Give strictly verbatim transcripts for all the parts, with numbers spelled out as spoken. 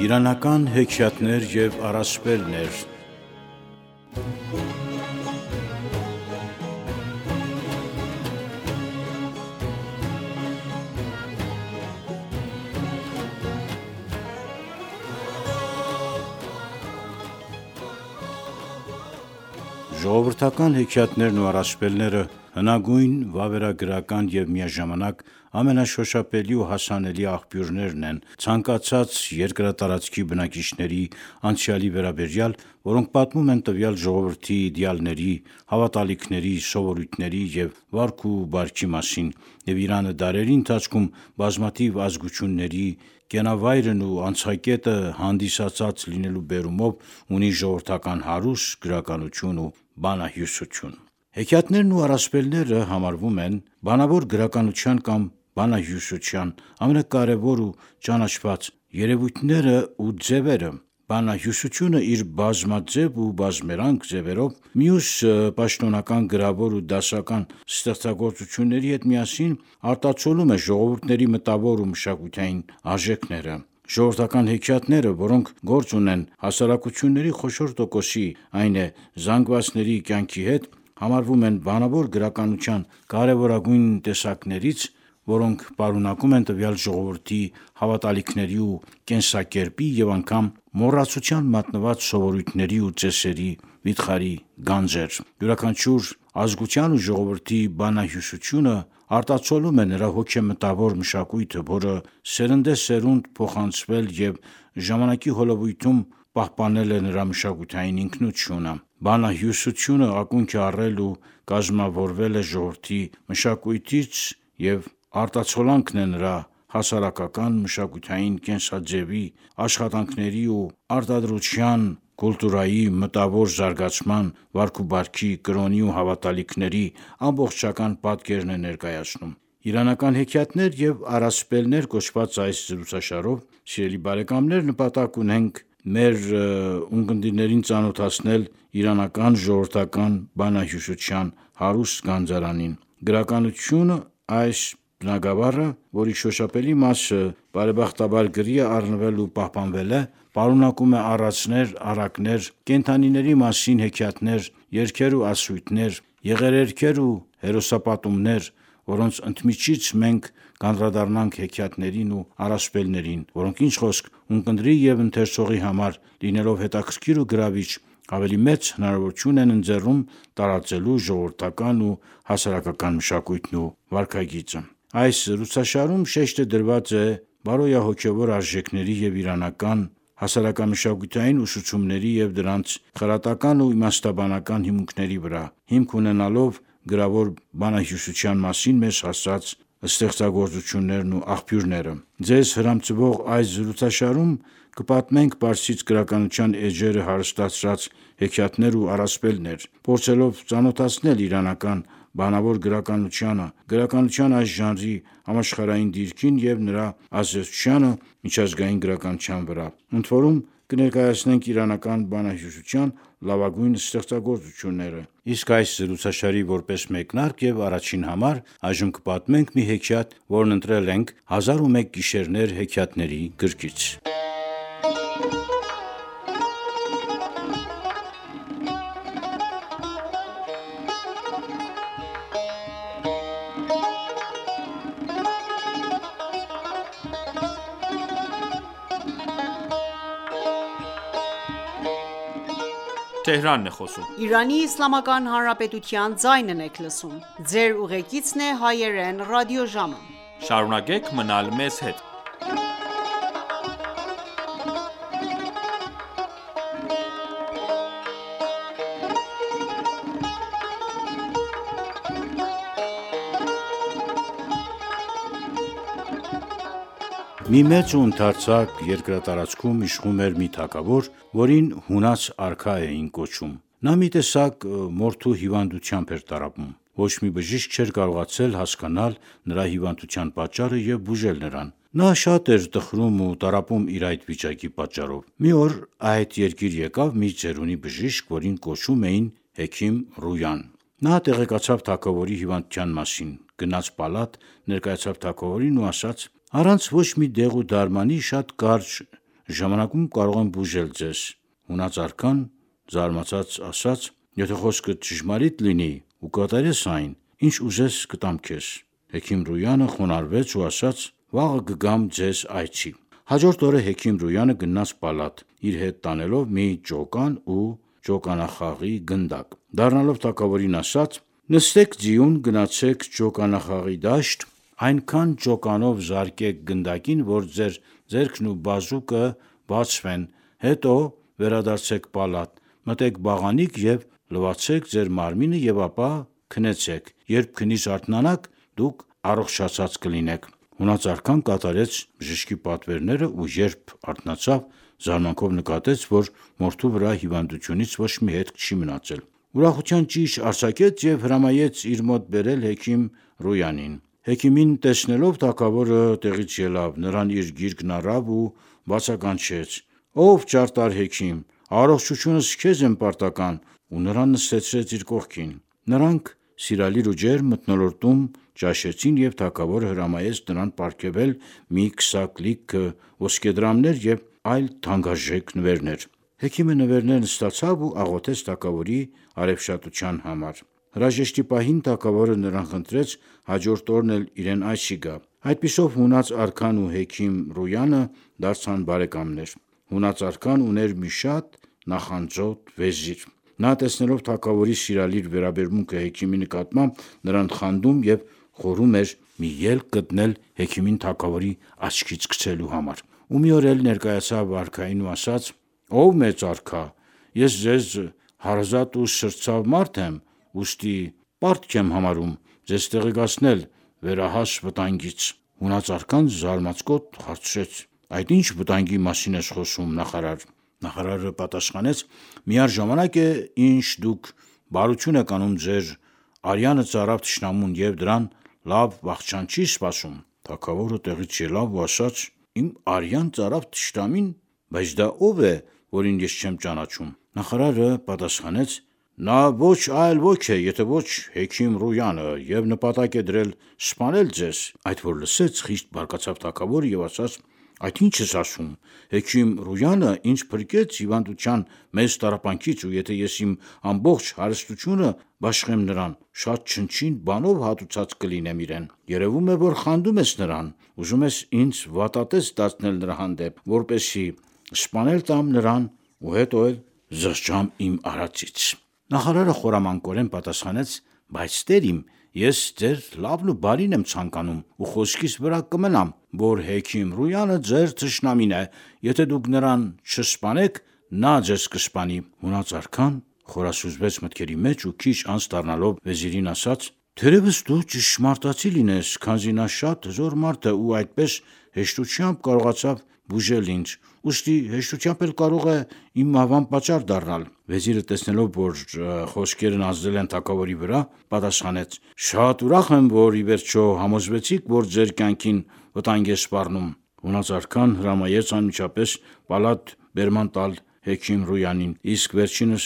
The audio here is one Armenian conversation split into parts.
Իրանական հեքիաթներ և առասպելներ։ Ժողովրդական հեքիաթներն ու առասպելները հնագույն, վավերագրական և միաժամանակ ամենաշոշափելի ու հասանելի աղբյուրներն են ցանկացած երկրատարածքի բնակիչների անցյալի վերաբերյալ, որոնք պատմում են տվյալ ժողովրդի իդեալների, հավատալիքների, սովորույթների և վարք ու բարքի մասին, և Իրանը դարերի ընթացքում բազմաթիվ ազգությունների կենավայրն ու անցակետը հանդիսացած լինելու բերումով ունի ժողովրդական հարուստ գրականություն ու բանահյուսություն։ Հեքիաթներն ու առասպելները համարվում են բանավոր գրականության կամ բանահյուսության ամենակարևոր ու ճանաչված երևույթները ու ձևերը։ Բանահյուսությունը իր բազմաձև ու բազմերանգ ձևերով, մյուս պաշտոնական գրավոր ու դասական ստեղծագործությունների հետ միասին արտացոլում է ժողովուրդների մտավոր ու մշակութային արժեքները։ Ժողովրդական հեքիաթները, որոնք գործ ունեն հասարակությունների խոշոր տոկոսի, այն է զանգվածների կյանքի հետ, համարվում են բանավոր գրականության կարևորագույն տեսակներից, որոնք պարունակում են տվյալ ժողովրդի հավատալիքների ու կենսակերպի և անգամ մոռացության մատնված սովորույթների ու ծեսերի վիթխարի գանձեր։ Յուրաքանչյուր ազգության ու ժողովրդի բանահյուսությունը արտացոլում է նրա հոգեմտավոր մշակույթը, որը սերնդեսերունդ փոխանցվել և ժամանակի հոլովույթում պահպանել է նրա մշակութային ինքնությունը։ Բանահյուսությունը ակունք է առել ու կազմավորվել է ժողովրդի մշակույթից և արտացոլանքն է նրա հասարակական, մշակութային կենսաձևի, աշխատանքների ու արտադրության, կուլտուրայի, մտավոր զարգացման, վարք ու բարքի, կրոնի ու հավատալիքների ամբողջական պատկերն է ներկայացնում։ «Իրանական հեքիաթներ և առասպելներ» կոչված այս զրուցաշարով, սիրելի բարեկամներ, նպատակ ունենք մեր ունկնդիրներին ծանոթացնել իրանական ժողովրդական բանահյուսության հարուստ գանձարանին։ Գրականություն այս բնագավառը, որի շոշափելի մասը բարեբախտաբար գրի է առնվել ու պահպանվել է, պարունակում է առածներ, առակներ, կենդանիների մասին հեքիաթներ, երգեր ու ասույթներ, եղերերքեր ու հերոսապատումներ, որոնց ընդմիջից մենք կանդրադառնանք հեքիաթներին ու առասպելներին, որոնք, ինչ խոսք, ունկնդրի և ընթերցողի համար, լինելով հետաքրքիր ու գրավիչ, ավելի մեծ հնարավորություն են ընձեռում տարածելու ժողովրդական ու հասարակական մշակույթն ու վարքագիծը։ Այս զրուցաշարում շեշտը դրված է բարոյահոգևոր արժեքների և իրանական հասարակամշակութային ուսուցումների և դրանց խրատական ու իմաստաբանական հիմունքների վրա, հիմք ունենալով գրավոր բանահյուսության մասին մեզ հասած ստեղծագործություններն ու աղբյուրները։ Ձեզ հրամցվող այս զրուցաշարում կպատմենք պարսից գրականության էջերը հարստացրած հեքիաթներ ու առասպելներ, փորձելով ծանոթացնել իրանական բանավոր գրականությանը, գրականության այս ժանրի համաշխարհային դիրքին և նրա ազդեցությանը միջազգային գրականության վրա։ Ընդորում կներկայացնենք իրանական բանահյուսության լավագույն ստեղծագործությունները։ Իսկ այս զրուցաշարի որպես մեկնարկ և առաջին համար այժմ կպատմենք մի հեքիաթ, որն ընտրել ենք «Հազար ու մեկ գիշերներ» հեքիաթների գրքից։ Մի մեծ ու ընդարձակ երկրատարածքում իշխում էր մի թագավոր, որին հունած արքա էին կոչում։ Նա մի տեսակ մորթու հիվանդությամբ էր տառապում։ Ոչ մի բժիշկ չէր կարողացել հասկանալ նրա հիվանդության պատճառը և բուժել նրան։ Նա շատ էր տխրում ու տառապում իր այդ վիճակի պատճառով։ Մի օր այդ երկիր եկավ մի ծերունի բժիշկ, որին կոչում էին հեքիմ Ռոյան։ Նա տեղեկացավ թագավորի հիվանդության մասին, գնաց պալատ, ներկայացավ թագավորին ու ասաց. «Առանց ոչ մի դեղ ու դարմանի շատ կարճ ժամանակում կարող եմ բուժել ձեզ։ Հունած արքան զարմացած ասաց. Եթե խոսքը ճշմարիտ լինի ու կատարես այն, ինչ ուզես կտամ քեզ։ Հեքիմ Ռոյանը խոնարհվեց ու ասաց. Վաղը կգամ ձեզ այցի։ Հաջորդ օրը Հեքիմ Ռոյանը գնաց պալատ, իր հետ տանելով մի ջոկան ու ջոկանախաղի գնդակ։ Դառնալով թագավորին ասաց. Նստեք ձիուն, գնացեք ջոկանախաղի դաշտ, այնքան ջոկանով զարկեք գնդակին, որ ձեր ձեռքն ու բազուկը բացվեն, հետո վերադարձեք պալատ, մտեք բաղանիք և լվացեք ձեր մարմինը և ապա քնեցեք, երբ քնից արթնանաք, դուք առողջացած կլինեք։ Հունած արքան կատարեց բժշկի պատվերները ու երբ արթնացավ, զարմանքով նկատեց, որ մորթու վրա հիվանդությունից ոչ մի հետք չի մնացել։ Ուրախության ճիչ արձակեց և հրամայեց իր մոտ բերել Հեքիմ Ռոյանին։ Հեքիմին տեսնելով թագավորը տեղից ելավ, նրան իր գիրկն առավ ու բացականչեց. Ով ճարտար Հեքիմ, առողջությունս քեզ եմ պարտական, ու նրան նստեցրեց իր կողքին։ Նրանք սիրալիր ու ջերմ մթնոլորտում ճաշեցին և թագավորը հրամայեց նրան պարգևել մի քսակ լիքը ոսկեդրամներ և այլ թանկարժեք նվերներ։ Հեքիմը նվերներն ստացավ ու աղոթեց թագավորի արևշատության համար։ Հրաժեշտի պահին թագավորը նրան խնդրեց հաջորդ օրն էլ իրեն այցի գա։ Այդպիսով հունած արքան ու Հեքիմ Ռոյանը դարձան բարեկամներ։ Հունած արքան ուներ մի շատ նախանձոտ վեզիր։ Նա տեսնելով թագավորի սիրալիր վերաբերմունքը Հեքիմի նկատմամբ, նրան խանդում և խորհում էր մի ելք գտնել Հեքիմին թագավորի աչքից գցելու համար։ Ու մի օր էլ ներկայացավ արքային ու ասաց. Ով մեծ արքա, ես ձեզ հարազատ ու սրտցավ մարդ եմ, ուստի պարտք եմ համարում ձեզ տեղեկացնել վերահաս վտանգից։ Հունած արքան զարմացկոտ հարցրեց. Այդ ի՞նչ վտանգի մասին ես խոսում, նախարար։ Նախարարը պատասխանեց. Միառժամանակ է, ինչ դուք բարություն եք անում ձեր արյանը ծարավ թշնամուն և դրան լավ վախճան չի սպասում։ Թագավորը տեղից ելավ ու ասաց. Իմ արյան ծարավ թշնամին, բայց դա ով է, որին ես չեմ ճանաչում։ Նախարարը պատասխանեց. Նա ոչ այլ ոք է, եթե ոչ Հեքիմ Ռոյանը, և նպատակ է դրել սպանել ձեզ։ Այդ որ լսեց, խիստ բարկացավ թագավորը և ասաց. Այդ ի՞նչ ես ասում։ Հեքիմ Ռոյանը ինձ փրկեց հիվանդության մեծ տառապանքից, ու եթե ես իմ ամբողջ հարստությունը բաշխեմ նրան, շատ չնչին բանով հատուցած կլինեմ իրեն։ Երևում է, որ խանդում ես նրան, ուզում ես ինձ վատատես դարձնել նրա հանդեպ, որպեսզի սպանել տամ նրան ու հետո էլ զղջամ իմ արածից։ Նախարարը խորամանկորեն պատասխանեց. Բայց տեր իմ, ես ձեր լավն ու բարին եմ ցանկանում ու խոսքիս վրա կմնամ, որ Հեքիմ Ռոյանը ձեր թշնամին է, եթե դուք նրան չսպանեք, նա ձեզ կսպանի։ Հունած արքան խորասուզվեց մտքերի մեջ ու քիչ անց դառնալով վեզիրին ասաց. Թերևս դու ճշմարտացի լինես, քանզի նա շատ հզոր մարդ է ու այդպես հեշտությամբ կարողացավ բուժել ինձ, ուստի հեշտությամբ էլ կարող է իմ մահվան պատճառ դառնալ։ Վեզիրը տեսնելով, որ խոսքերն ազդել են թագավորի վրա, պատասխանեց. Շատ ուրախ եմ, որ ի վերջո համոզվեցիք, որ ձեր կյանքին վտանգ է սպառնում։ Հունած արքան հրամայեց անմիջապես պալատ բերման տալ Հեքիմ Ռոյանին, իսկ վերջինս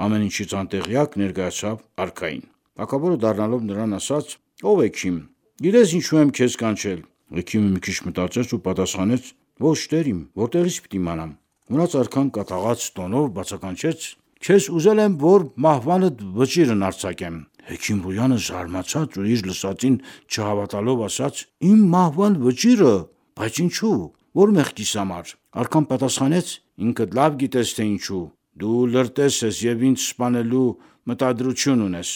ամեն ինչից անտեղյակ ներկայացավ արքային։ Թագավորը դառնալով նրան ասաց. Ով Հեքիմ, գիտես ինչու եմ քեզ կանչել։ Հեքիմը մի քիչ մտածեց ու պատասխանեց. Ոչ տեր իմ, որտեղից պիտի իմանամ։ Հունած արքան կատաղած տոնով բացականչեց. Քեզ ուզել եմ, որ մահվանդ վճիրն արձակեմ։ Հեքիմ Ռոյանը զարմացած ու իր լսածին չհավատալով ասաց. Իմ մահվան վճիրը, բայց ինչու, որ մեղքիս համար։ Արքան պատասխանեց. Ինքդ լավ գիտես, թե ինչու։ Դու լրտես ես և ինձ սպանելու մտադրություն ունես։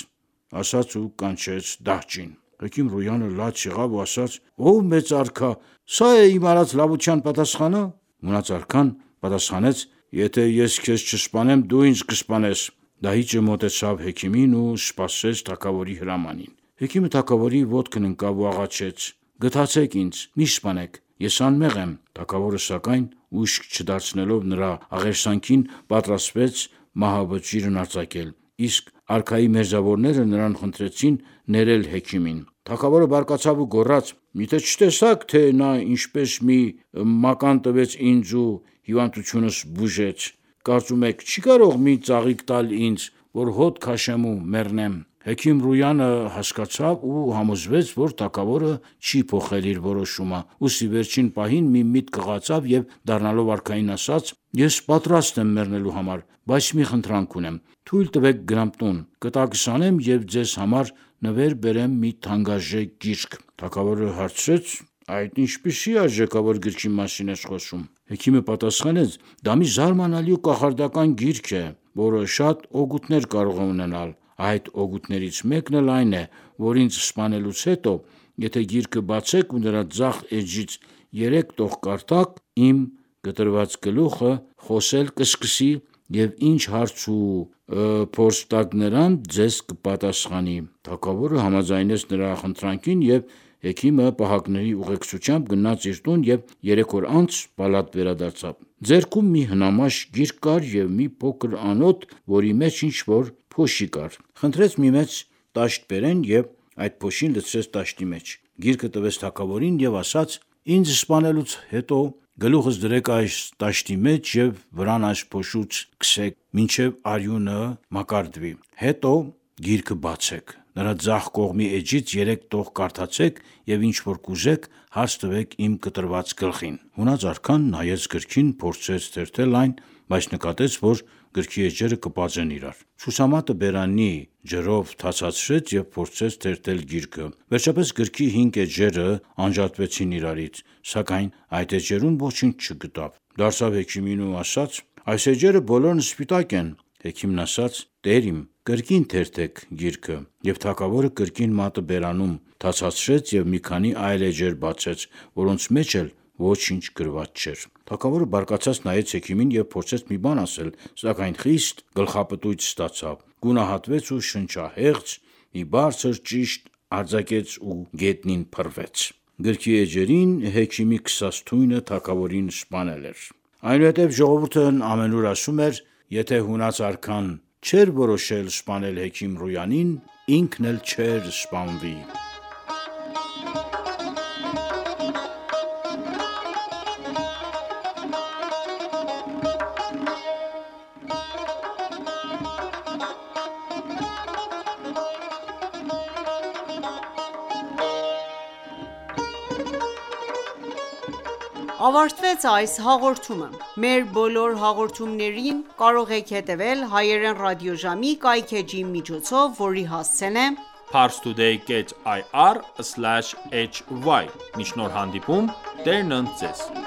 Ասաց ու կանչեց դահճին։ Հեքիմ Ռոյանը լաց եղավ ու ասաց. Ով մեծ արքա, սա է իմ արած լավության պատասխանը։ Հունած արքան պատասխանեց. Եթե ես քեզ չսպանեմ, դու ինձ կսպանես։ Դահիճը մոտեցավ Հեքիմին ու սպասեց թագավորի հրամանին։ Հեքիմը թագավորի ոտքն ընկավ ու աղաչեց. Գթացեք ինձ, մի սպանեք, ես անմեղ եմ։ Թագավորը սակայն ուշք չդարձնելով նրա աղերսանքին, պատրաստվեց մահավճիրն արձակել, իսկ արքայի մերձավորները նրան խնդրեցին ներել Հեքիմին։ Թագավորը բարկացավ ու գոռաց. Միթե չտեսա՞ք, թե նա ինչպես մի մական տվեց ինձ ու հիվանդությունս բուժեց։ Կարծում եք չի՞ կարող մի ծաղիկ տալ ինձ, որ հոտ քաշեմ ու մեռնեմ։ Հեքիմ Ռոյանը հասկացավ ու համոզվեց, որ թագավորը չի փոխել իր որոշումը, ուստի վերջին պահին մի միտք կղացավ և դառնալով արքային ասաց. «Ես պատրաստ եմ մեռնելու համար, բայց մի խնդրանք ունեմ, թույլ տվեք գնամ տուն, կտակս անեմ և ձեզ համար նվեր բերեմ մի թանկարժեք գիրք»։ Թագավորը հարցրեց. «Այդ ինչպիսի արժեքավոր գրքի մասին ես խոսում»։ Հեքիմը պատասխանեց. «Դա մի զարմանալի ու կախարդական գիրք է, որը շատ օգուտներ կարող է ունենալ։ Այդ օգուտներից մեկն էլ այն է, որ ինձ սպանելուց հետո, եթե գիրքը բացեք ու նրա ձախ էջից երեք տող կարդաք, իմ կտրված գլուխը խոսել կսկսի և ինչ հարց ու փորձ տաք նրան, ձեզ կպատասխանի»։ Թագավորը համաձայնեց նրա խնդրանքին և հեքիմը պահակների ուղեկցությամբ գնաց իր տուն և երեք օր անց պալատ վերադարձավ։ Ձեռքում մի հնամաշ գիրք կար և մի փոքր անոթ, որի մեջ ինչ-որ փոշի կար։ Խնդրեց մի մեծ տաշտ բերեն և այդ փոշին լցրեց տաշտի մեջ։ Գիրքը տվեց թագավորին և ասաց. «Ինձ սպանելուց հետո գլուխս դրեք այս տաշտի մեջ և վրան այս փոշուց քսեք, մինչև արյունը մակարդվի, հետո գիրքը բացեք, նրա ձախ կողմի էջից երեք տող կարդացեք և ինչ որ կուզեք, հարց տվեք իմ կտրված գլխին»։ Հունած արքան նայեց գրքին, փորձեց թերթել այն, բայց նկատեց, որ գրքի էջերը կպած են իրար։ Ցուցամատը բերանի ջրով թացացրեց և փորձեց թերթել գիրքը։ Վերջապես գրքի հինգ էջերը անջատվեցին իրարից, սակայն այդ էջերում ոչինչ չգտավ։ Դարձավ հեքիմին ու ասաց. «Այս էջերը բոլորն սպիտակ են»։ Հեքիմն ասաց. «Տեր իմ, կրկին թերթեք գիրքը»։ Եվ թագավորը կրկին մատը բերանում թացացրեց և մի քանի այլ էջեր բացեց, որոնց մեջ էլ ոչինչ գրված չէր։ Թագավորը բարկացած նայեց հեքիմին և փորձեց մի բան ասել, սակայն խիստ գլխապտույտ ստացավ, գունահատվեց ու շնչահեղձ մի բարձր ճիշտ արձակեց ու գետնին փռվեց։ Գրքի էջերին հեքիմի քսած թույնը թագավորին սպանել էր։ Այնուհետև ժողովուրդն ամենուր ասում էր. «Եթե հունած արքան չէր որոշել սպանել հեքիմ Ռոյանին, ինքն էլ չէր սպանվի»։ Ավարտվեց այս հաղորդումը։ Մեր բոլոր հաղորդումներին կարող եք հետևել հայերեն ռադիոժամի կայքէջի միջոցով, որի հասցեն է parstoday dot ir slash hy։ Մինչ նոր հանդիպում, Տերն ընդ ձեզ։